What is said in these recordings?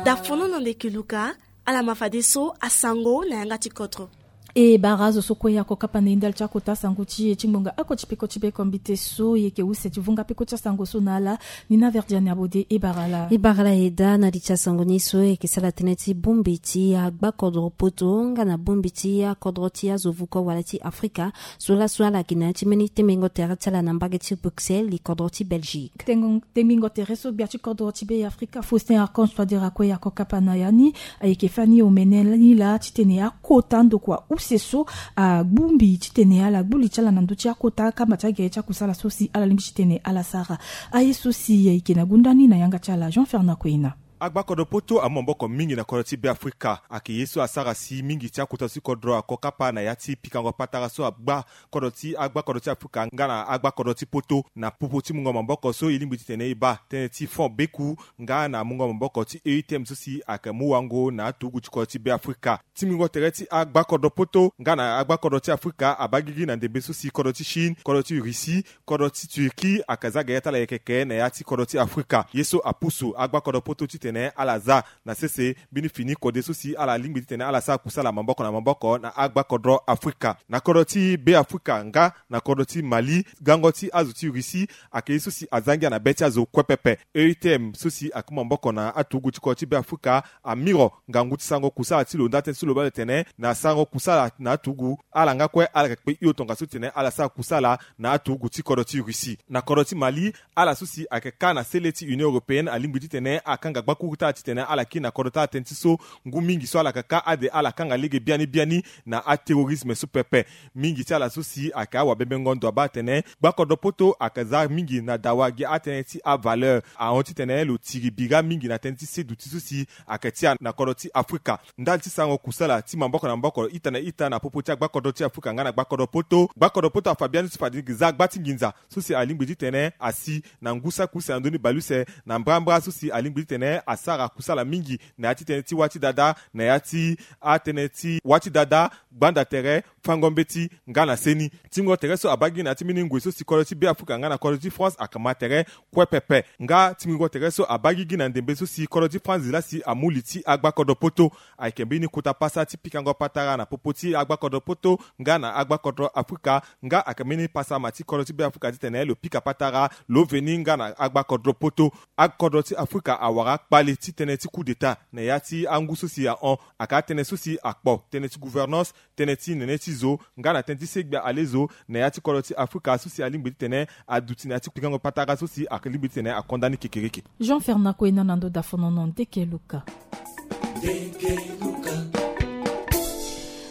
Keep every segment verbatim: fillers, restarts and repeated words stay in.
Dafono na ndeke luka. Ala ma fadeso asango na yanga ti kodro. E bara azo so kue ya kokapa na e ndali ti akota sango ti e ti ngbonga oko ti peko ti be kombite so e yeke use ti vunga peko ti asango so na ala. Nina verdiane abode e bara ala. E bara ala e daa na li ti asango ni so e yeke sara tënë ti bongbi ti agbakodro poto nga na bongbi ti akodro ti azo vuko wala ti afrika. So laso ala gi na ya ti mbeni tembingo tere ti ala na mbage ti Bruxelles li kodro ti Belgique. Tembingo tere so gbia ti kodro ti be afrika Faustin Archange Touadéra kue ya kokapa na ya ni. Ayeke fani omene ni laa titene akota ndokua use so agbongbi titene ala gbu li ti ala na ndö ti akota akamba ti agere ti akusala so si ala lingbi titene ala sara. Aye so si ayeke na gunda ni na yanga ti ala Jean Fernand Koina. Agbakodro poto amu maboko mingi na kodro ti be afrika. Ayeke ye so asara si mingi ti akota ti kodro ako kapa na ya ti pikango patara so agba kodro ti agbakodro ti afrika nga na agbakodro ti poto na popo ti mungo maboko so e lingbi titene e baa tënë ti fond beku nga na mungo maboko ti E U T M so si ayeke mu wango na aturugu ti kodro ti be afrika. Ti mungo tere ti agbakodro poto nga na agbakodro ti afrika abaa gigi na ndembe so si kodro ti chine, kodro ti russie, kodro ti turquie ayeke za gere ti ala yekeke na ya ti kodro ti afrika. Ye so apusu agbakodro poto titene ala za na sese mbeni fini kode so si ala lingbi titene ala sara kusala maboko na maboko na agbakodro afrika. Na kodro ti be afrika nga na kodro ti mali, gango ti azo ti russie ayeke ye so si aza ngia na be ti azo kue pepe. E U T M so si aku maboko na aturugu ti kodro ti be afrika amiro ngangu ti sarango kusala ti lo nda tënë ti so lo baa lo tene na sarango kusala na aturugu, ala nga kue ala yeke kpe hio tongaso titene ala sara kusala na aturugu ti kodro ti russie. Na kodro ti mali, ala so si ayeke kâ na sele ti union européenne alingbi titene akanga gbakuru ti ala titene ala kiri na kodro ti ala tënë ti so ngu mingi so ala yeke kâ ade ala kanga lege biani biani na aterrorisme so pepe. Mingi ti ala so si ayeke awabembengo ndo abaa atene gbakodro poto ayeke za mingi na dawa gi atënë ti avaleur ahon titene lo tiri bira mingi na tënë ti seduti so si ayeke ti ala na kodro ti afrika. Ndali ti sarango kusala ti maboko na maboko ita na ita na popo ti agbakodro ti afrika nga na gbakodro poto, gbakodro poto afa biani so fade gi za gba ti nginza so si alingbi titene asi na ngu saki use na ndö ni baleuse na mbrambra so si alingbi titene asara kusala mingi na ya ti tënë ti wâ ti dada, na ya ti atënë ti wâ ti dada, gbanda tere, fango mbeti nga na seni. Ti mungo tere so abaa gi na ya ti mbeni ngoi so si kodro ti be afrika nga na kodro ti france ayeke ma tere kue pepe. Nga ti mungo tere so abaa gigi na ndembe so si kodro ti france laa si amu li ti agbakodro poto. Ayeke mbeni kota pasa ti pikango patara na popo ti agbakodro poto nga na agbakodro afrika. Nga ayeke mbeni pasa ma ti kodro ti be afrika titene lo pika patara lo veni nga na agbakodro poto. Akodro ti afrika awara akpale ti tënë ti coup d'état na ya ti angu so si ahon. Ayeke atënë so si akpo tënë ti gouvernance, tënë ti nene ti zo nga na tënë ti segbia ale zo na ya ti kodro ti afrika so si alingbi titene aduti na ya ti pikango patara so si alingbi titene akonda ni kekereke. Jean Fernand Koina na ndo dafonono ndeke luka.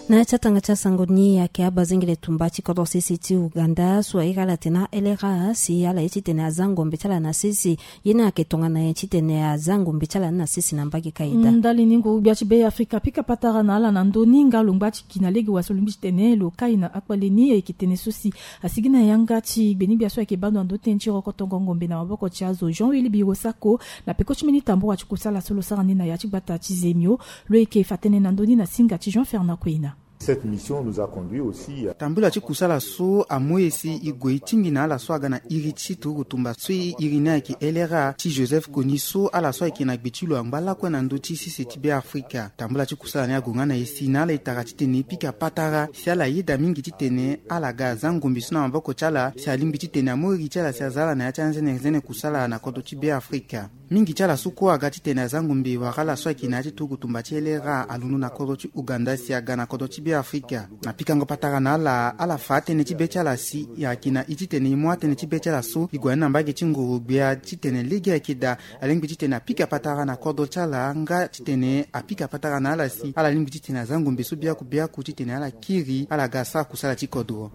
Na ya ti atanga ti asango ni ayeke abazengele tumba ti kodro sese ti uganda so airi ala tene alera si ala ye titene aza ngombe ti ala na sese. Ye ni ayeke tongana nyen titene aza ngombe ti ala ni na sese na mbage kaida? Ndali ni nguru gbia ti be afrika pika patara na ala na ndö ni nga lo ngba ti gi na lege wa so lo lingbi titene lo kai na akpale ni ayeke tene so si asigi na yanga ti gbeni gbia so ayeke bando na ndö tënë ti rokotongo ngombe na maboko ti azo jean willy biro sako. Na peko ti mbeni tambura ti kusala so lo sara ni na ya ti gbata ti zemio. Lo yeke fa tënë na ndö ni na singa ti jean fernand kueina. Cette mission nous a conduit aussi à tambula ti kusala so amu e si e gue e tingbi na ala so aga na iri ti turugu tumba so e iri ni ayeke lra ti joseph koni so ala so ayeke na gbe ti lo angba lakue na ndö ti sese ti be afrika. Tambula ti kusala ni ague nga na e si na ala e tara titene e pika patara si ala yeda mingi titene ala ga aza ngombe so na maboko ti ala si alingbi titene amu iri ti ala si aza ala na ya ti anzenenzene kusala na kodro ti be afrika. Mingi ti ala so kue aga titene aza ngombe wala ala so ayeke na ya ti turugu tumba ti lra alondo na kodro ti uganda si aga na kodro ti be afrika. Na pikango patara na ala ala fa atënë ti be ti ala si e yeke na e titene e mu atënë ti be ti ala so e gue na ni na mbage ti ngoro gbia titene lege ayeke daa alingbi titene apika patara na kodro ti ala nga titene apika patara na ala si ala lingbi titene aza ngombe so biaku biaku titene ala kiri ala ga asara kusala ti kodro.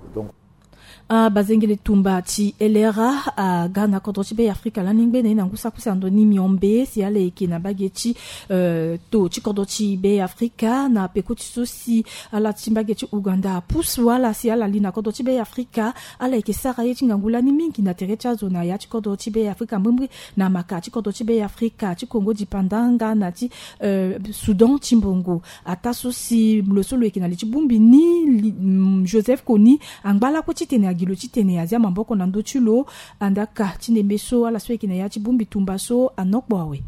Abazengele tumba ti lra aga na kodro ti be afrika lani ngbene na ngu saki use na ndo ni miombe si ala yeke na mbage ti to ti kodro ti be afrika na peko ti so si ala ti mbage ti uganda apusu ala si ala li na kodro ti be afrika. Ala yeke sara ye ti ngangu lani mingi na tere ti azo na ya ti kodro ti be afrika mbrimbri na maka ti kodro ti be afrika ti kongo dipanda nga na ti sudan ti mbongo. Ataa so si lo so lo yeke na li ti bongbi ni joseph koni angba lakue titene Agilo titene azia maboko na ndö ti lo. Andaka ti ndembe so ala so ayeke na ya ti bongbi tumba so anokpo awe.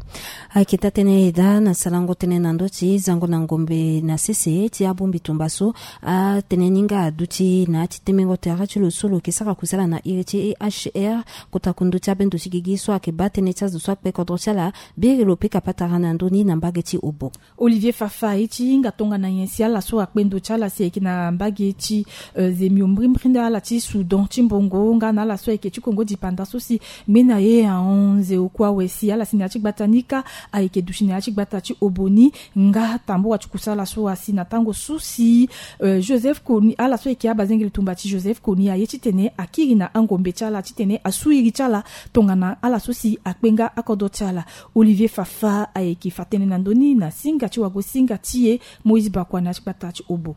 Ayeke taa tënë daa na sarango tënë na ndö ti zango na ngombe na sese ti abongbi tumba so. Atënë ni nga aduti na ya ti temengo tere ti lo so lo yeke sara kusala na iri ti H R, kota kundu ti abendo ti gigi so ayeke baa tënë ti azo so akpe kodro ti ala. Biri lo pika patara na ndö ni na mbage ti Obo. Olivier Fafa aye ti hinga tongana nyen si ala so akpe ndo ti ala si ayeke na mbage ti, eh, Zemio mbrimbri nda ala ti Soudan ti mbongo nga na ala so ayeke ti Kongo dipanda so si ngbene aye ahon nze oku awe si ala si na ya ti gbata ni kâ ayeke duti na ya ti gbata ti Obo ni. Nga tambula ti kusala so asi na tango so si, eh, Joseph Kony, ala so ayeke abazengeli tumba ti Joseph Kony aye titene akiri na angombe ti ala titene asu iri ti ala tongana ala so si akpe nga akodro ti ala. Olivier Fafa ayeke fa tënë na ndö ni na singa ti wago singa ti e Moïse Bakwa na ya ti gbata ti Obo.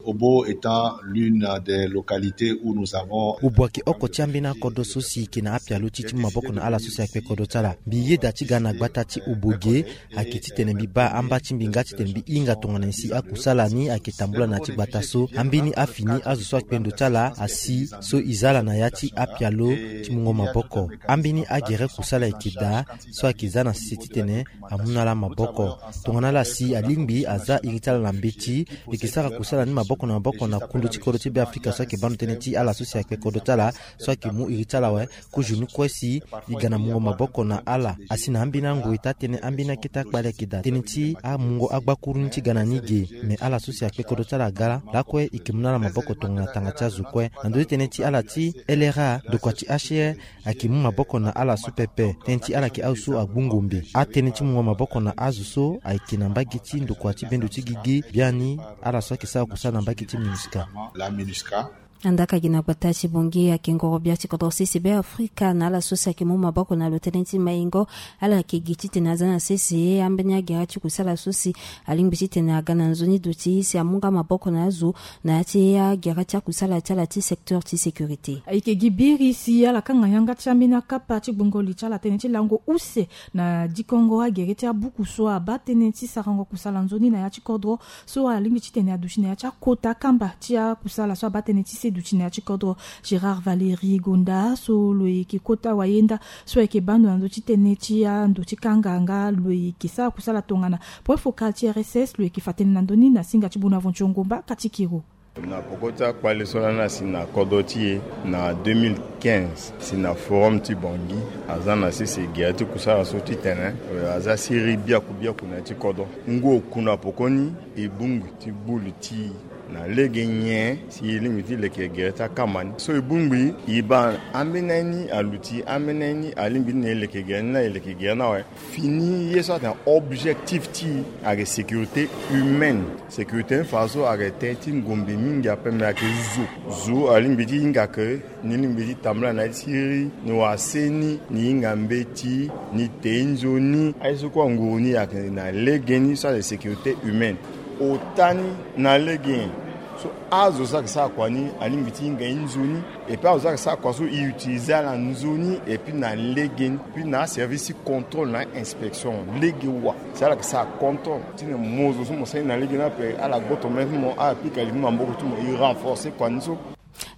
Obo étant l'une des localités où nous avons Obo ayeke oko ti ambeni akodro so si yeke na apialo ti ti mu maboko na ala so si akpe kodro ti ala. Mbi yeda ti ga na gbata ti Obo ge ayeke titene mbi baa amba ti mbi nga titene mbi hinga tongana nyen si akusala ni ayeke tambula na ya ti gbata so. Ambeni afini azo so akpe ndo ti ala asi so e za ala na ya ti apialo ti mungo maboko. Ambeni agere kusala ayeke daa so ayeke za na sese titene amu na ala maboko. Tongana ala si alingbi aza iri ti ala na mbeti, e yeke sara kusala ni maboko na maboko na kundu ti kodro ti Beafrika so ayeke baa ndo tënë ti ala so si akpe kodro ti ala so ayeke mu iri ti ala awe. Kozo ni kue si e ga na mungo maboko na ala. Asi na ambeni angoi taa tënë ambeni akete akpale ayeke daa tënë ti amungo agbakuru ni ti ga na ni ge. Me ala so si akpe kodro ti ala aga lakue e yeke mu na ala maboko tongana tanga ti azo kue. Na ndö ti tënë ti ala ti L R A, ndokua ti H R ayeke mu maboko na ala so pepe. Tënë ti ala yeke azo so agbu ngombe. Atënë ti mungo maboko na azo so ayeke na mbage ti ndokua ti bendo ti gigi biani ala so ayeke sara kusala na mbage ti MINUSCA. La MINUSCA. Andaka gi na gbata ti Bangui ayeke ngoro bia ti kodro sese Beafrika na ala so si ayeke mu maboko na lo tënë ti maingo. Ala yeke gi titene aza na sese ambeni agere ti kusala so si alingbi titene aga na nzoni duti si amu nga maboko na azo na ya ti agere ti akusala ti ala ti secteur ti sécurité. Ayeke gi biri si ala kanga yanga ti ambeni akapa ti gbongo li ti ala tënë ti lango use na dikongo agere ti abuku so abaa tënë ti sarango kusala nzoni na ya ti kodro so alingbi titene aduti na ya ti akota kamba ti akusala so abaa tënë ti se duti na ya ti kodro. Gérard Valéry Gonda so lo yeke kota wayenda so ayeke baa ndo na ndö ti tënë ti ando ti kanga nga lo yeke sara kusala tongana point focal ti R S S lo yeke fa tënë na ndö ni na singa ti Bonaventure Ngomba kati kiro. Na poko ti akpale so lani asi na kodro ti e na deux mille quinze si na forum ti Bangui aza na sese gere ti kusala so titene, eh, aza siriri biaku biaku na ya ti kodro. Ngu oku na poko ni e bongbi ti gbu li ti e na lege nyen si e lingbi ti leke gere ti akamba ni. So e bongbi e baa ambeni aye ni aluti ambeni aye ni alingbi ti na e leke gere ni na e leke gere ni awe. Fini ye so atene objectif ti e ayeke sécurité humaine. Sécurité ni fa so ayeke tënë ti ngombe mingi ape me ayeke zo. Zo alingbi ti hinga ke ni lingbi ti tambula na ye ti siriri ni wara seni ni hinga mbeti ni te nzoni. Aye so kue anguru ni ayeke na lege ni so ayeke sécurité humaine. Ota ni na lege nyen so azo so ayeke sara kua ni alingbi ti hinga ye nzoni. Et puis azo so ayeke sara kua so e utiliser ala nzoni et puis na lege ni puis na aservice ti contrôle na inspection lege wa. Si ala yeke sara contrôle ti na mo zo so mo sara ni na lege ni ape ala gboto mene ti mo ala pika li ti maboko ti mo e renforcer kua ni so.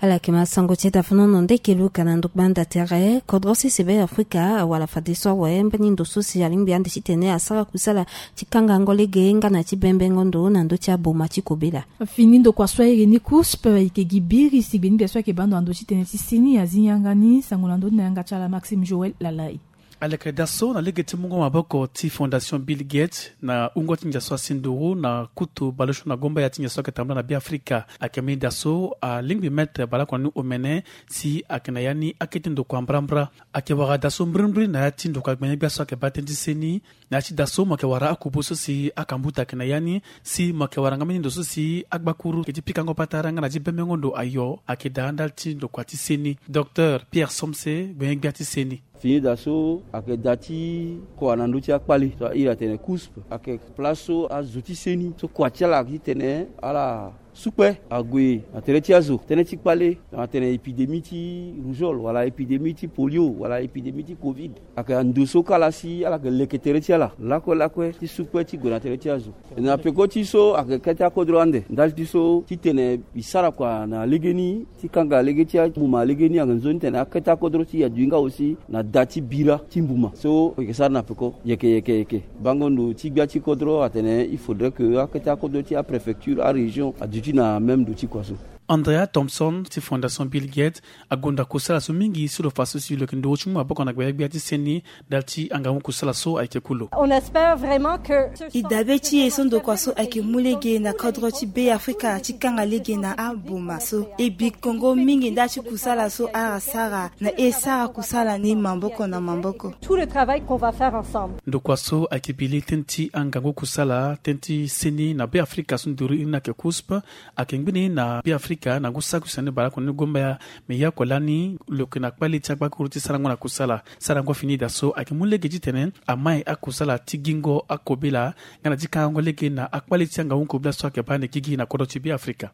Ala yeke ma sango ti e dafanono ndeke luka na ndokba nda tere kodro sese Beafrika awara fadeso awe mbeni ndo so si alingbi ande titene asara kusala ti kangango lege nga na ti bembengo ndo na ndö ti aboma ti kobela. Fini ndokua so airi ni COUSP ayeke gi biri si gbeni gbia so ayeke baa ndo na ndö ti tënë ti seni azi yanga ni sango na ndö ni na yanga ti ala Maxime Joël Lalai. Aleke da so na lege ti mungo maboko ti Fondation Bill Gates na wungo ti ndia so asi nduru na kutu baleso na gomba ya ti ndia so ayeke tambula na Beafrika. Ayeke mbeni da so alingbi mettre baleoko na ni omene si ayeke na ya ni akete ndokua mbrambra. Ayeke wara da so mbrimbri na ya ti ndokua gbene gbia so ayeke baa tënë ti seni. Na ya ti da so mo yeke wara akubo so si akambuta ayeke na ya ni si mo yeke wara nga mbeni ndo so si agbakuru ayeke ti pikango patara nga na ti bembengo ndo ayo ayeke daa ndali ti ndokua ti seni. Docteur Pierre Somse gbene gbia ti seni. Fini da so ayeke da ti kua na ndö ti akpale so airi atene COUSP ayeke place so azo ti seni so kua ti ala ayeke titene ala Sukpe ague na tere ti azo, tënë ti kpale na tene épidémie ti rougeole wala épidémie ti polio wala épidémie ti covid. Ayeke ando so kala si ala yeke leke tere ti ala lakue lakue ti sukpe ti gue na tere ti azo. Na peko ti so ayeke kete akodro ande ndali ti so titene mbi sara kua na legeni ti kanga lege ti ambuma legeni ayeke nzoni tene akete akodro ti aduti nga aussi na da ti bira ti mbuma so yeke sara na peko yeke yeke yeke. Bango ndo ti gbia ti kodro atene il faudrait que akete akodro ti apréfecture arégion aduti na même ndo ti kua so. Andrea Thompson ti Fondation Bill Gates agonda kusala so mingi si lo fa so si lo yeke nduru ti mu maboko na gbenegbia ti seni ndali ti angangu kusala so ayeke kulo. On espère vraiment que e dabe ti e so ndokua so ayeke mu lege na kodro ti Be Afrika ti kanga lege na ambuma so e bi kongo mingi ndali ti kusala so ala sara na e sara kusala ni maboko na maboko. Tout le travail qu'on va faire ensemble. Ndokua so ayeke bi li tënë ti angangu kusala tënë ti seni na Be Afrika so nduru iri ni ayeke kusp. Ayeke ngbene na Be Afrika na ngu saki use ni baleoko ni gomba ya. Me ya oko lani lo yeke na kpale ti agbakuru ti sarango na kusala. Sarango fini daa so ayeke mu lege titene amai akusala ti gingo akobela nga na ti kangango lege na akpale ti angangu kobela so ayeke baa ande gigi na kodro ti Be Afrika.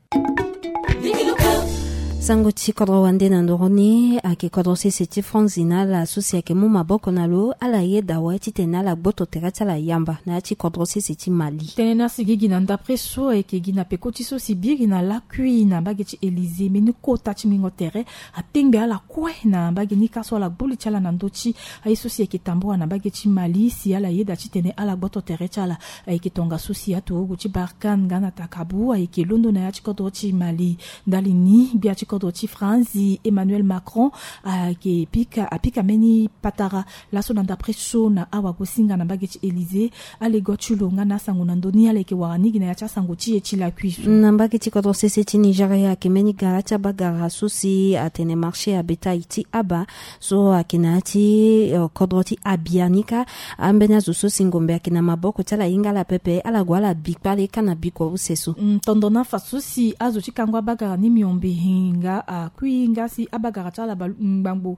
Sango ti kodro wande na nduru ni ayeke kodro sese ti Franzi na ala so si ayeke mu maboko na lo ala yeda awe titene ala gboto tere ti ala yamba na ya ti kodro sese ti Mali. Tënë ni asi gigi na ndapre so ayeke gi na peko ti so si biri na lakui na mbage ti Élysée mbeni kota ti mingo tere atengbe ala kue na mbage ni ka so ala gbu li ti ala na ndö ti aye so si ayeke tambula na mbage ti Mali si ala yeda titene ala gboto tere ti ala. Ayeke tongaso si aturugu ti Barkhane nga na Takabu ayeke londo na ya ti kodro ti Mali. Ndali ni gbia ti kodro ti Franzi Emmanuel Macron ayeke pika apika mbeni patara laso na ndapre so na awagosinga na mbage ti Élysée. Alego ti lo nga na asango na ndö ni ala yeke wara ni gi na ya ti asango ti e ti lakui so. Na mbage ti kodro sese ti Nigeria ayeke mbeni gara ti abagara so si atene marché ya bétail ti Aba so ayeke na ya ti kodro ti Abia ni ka. Ambeni azo so si ngombe ayeke na maboko ti ala hinga ala pepe ala gue ala bi kpale ka na bikua use so. Tondo na afa so si azo ti kango abagara ni miombe hinga akui hinga si abagara ti ala ngbangbo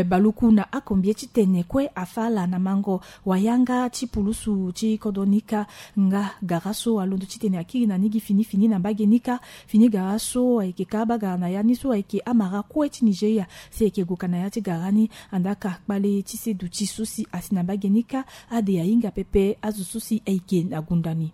baluku na akombie titene kue afa ala na mango wayanga ti pulusu ti kodro ni ka. Nga gara so alondo titene akiri na ni gi fini fini na mbage ni ka. Fini gara so ayeke ka abagara na ya ni so ayeke amara kue ti Nigeria si ayeke gue ka na ya ti gara ni. Andaka kpale ti seduti so si asi na mbage ni ka ade ahinga pepe azo so si ayeke na gunda ni.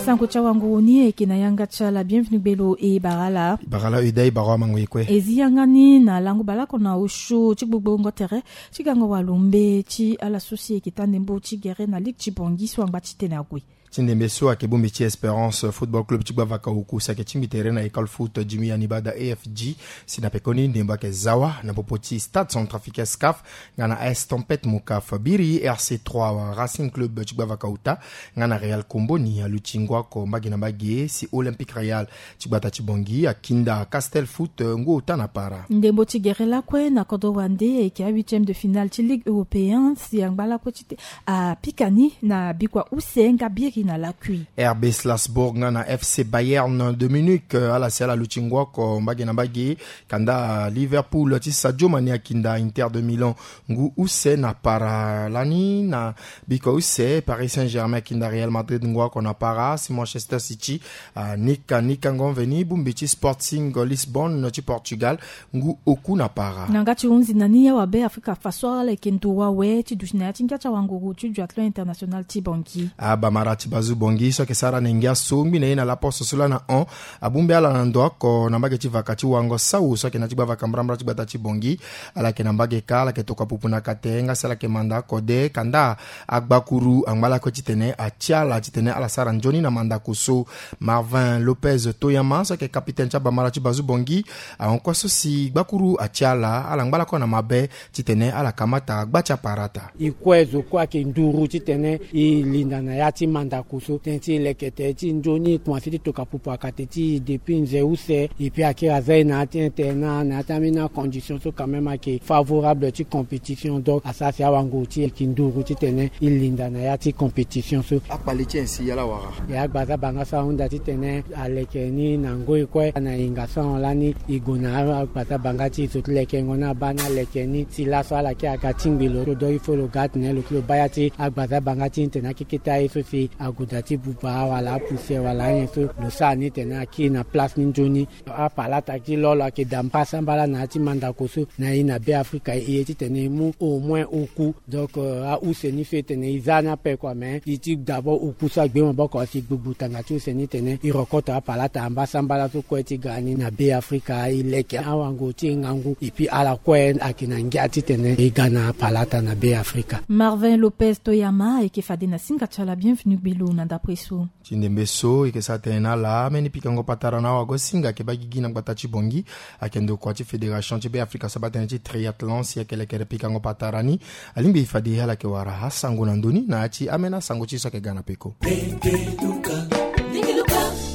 Sango ti awanguru ni ayeke na yanga ti ala bienvenu gbelo e bara ala. Bara ala uda e bara amango e kue. E zi yanga ni na lango baleoko na osio ti gbogborongo tere ti gango walombe ti ala so si ayeke taa ndembo ti gere na ligue ti Bangui so angba titene ague. Ti ndembe so ayeke bongbi ti Espérance Football Club ti gbavaka oku si ayeke tingbi tere na école foot Jimmy Anibada A F G. Si na pekoni ndembo ayeke za wa na popo ti stade centrafricain scaf nga na A S Tempête Mokaf. Biri R C trois Racing Club ti gbavaka ota nga na Real Komboni aluti ngu oko mbage na mbage si Olympique Real ti gbata ti Bangui akinda Castel Foot ngu ota na para. Ndembo ti gere lakue na kodro wande ayeke a huitième de finale ti Ligue européen si angba lakue ti te apika ni na bikua use nga biri na lakui. R B Salzbourg nga na F C Bayern de Munich ala si ala luti ngu oko mbage na mbage. Kanda Liverpool ti Sadio Mané akinda Inter de Milan ngu use na para lani na bikua use Paris Saint-Germain akinda Real Madrid ngu oko na para si Manchester City anika nikango mveni bongbi ti Sporting Lisbonne ti Portugal ngu oku na para. Na nga ti hunzi na ni awabe Afrika faso ala yeke ndo wawe ti duti na ya ti ngia ti awanguru ti duathlon international ti Bangui. Abamara ti bazu Bangui so ayeke sara na ngia so ngbi na ye na laposo so laa na hon abongbi ala na ndo oko na mbage ti vaka ti wango sau so ayeke na ya ti gbavaka mbrambra ti gbata ti Bangui. Ala yeke na mbage ka ala yeke tokua pupu na kate nga si ala yeke manda oko de kanda agbakuru angba lakue titene atia ala titene ala sara nzoni na mandako so. Marvin Lopez Toyama so ayeke kapitene ti abamara ti bazu Bangui ahon kue so si gbakuru atia ala ala ngba lakue na mabe titene ala kamata gba ti aparata. E kue zo kue ayeke nduru titene e linda na ya ti manda Koso tënë ti e leke tere ti nzoni e komanse ti toka pupu akate ti e depuis nze use. Epui akiri aza e na ya ti internat na ya ti ambeni acondition so quand même ayeke favorable ti compétition. Donc asara si awango ti e yeke nduru titene e linda na ya ti compétition so. Akpale ti e si ya la wara. E agbaza banga so ahunda titene aleke ni na ngoi kue na hinga so ahon lani. E gue na agbaza banga ti e so ti lekengo ni abaa ni aleke ni si laso ala kiri aga tingbi lo so. Donc il faut lo ga atene lo kiri lo baa ya ti agbaza banga ti e tene akeke ti aye so si ague daa ti buba wala apoussière wala anyen so. Lo sara ni tene akiri na place ni nzoni. Apalata ti lo lo ayeke daa mbasambala na ya ti mandako so na e na Be Afrika e ye titene e mu au moins oku. Donc euh, a-use ni so e tene e za ni ape kua mais e ti d'abord oku so agbe maboko si gbugbu tanga ti use ni tene e rokoto apalata ambasambala so kue ti ga ni na Be Afrika e leke awango ti e ngangu epui ala kue ayeke na ngia titene e ga na apalata na Be Afrika. Marvin Lopez Toyama ayeke fade na singa ti ala bienvenu gbelo na ndapre so. Ti ndembe so e yeke sara tënë na ala ambeni pikango patara na awago-singa ayeke baa gigi na gbata ti Bangui. Ayeke ndokua ti fédération ti Be Afrika so abaa tënë ti triathlon si ayeke lekere pikango patara ni. Alingbi fade ala yeke wara asango na ndö ni na ya ti ambeni asango ti e so ayeke ga na peko.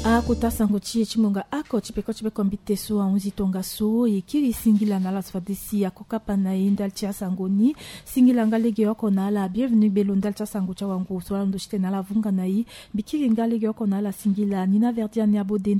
Akota sango ti e ti ngonga oko ti peko ti peko mbite so ahunzi tongaso e kiri singila na ala so fade si ako kapa na e ndali ti asango ni. Singila nga legeoko na ala bienvenu gbelo ndali ti asango ti awango so ala ndo ti tene ala vunga na e. Mbi kiri nga legeoko na ala singila ni na verdi ani abode.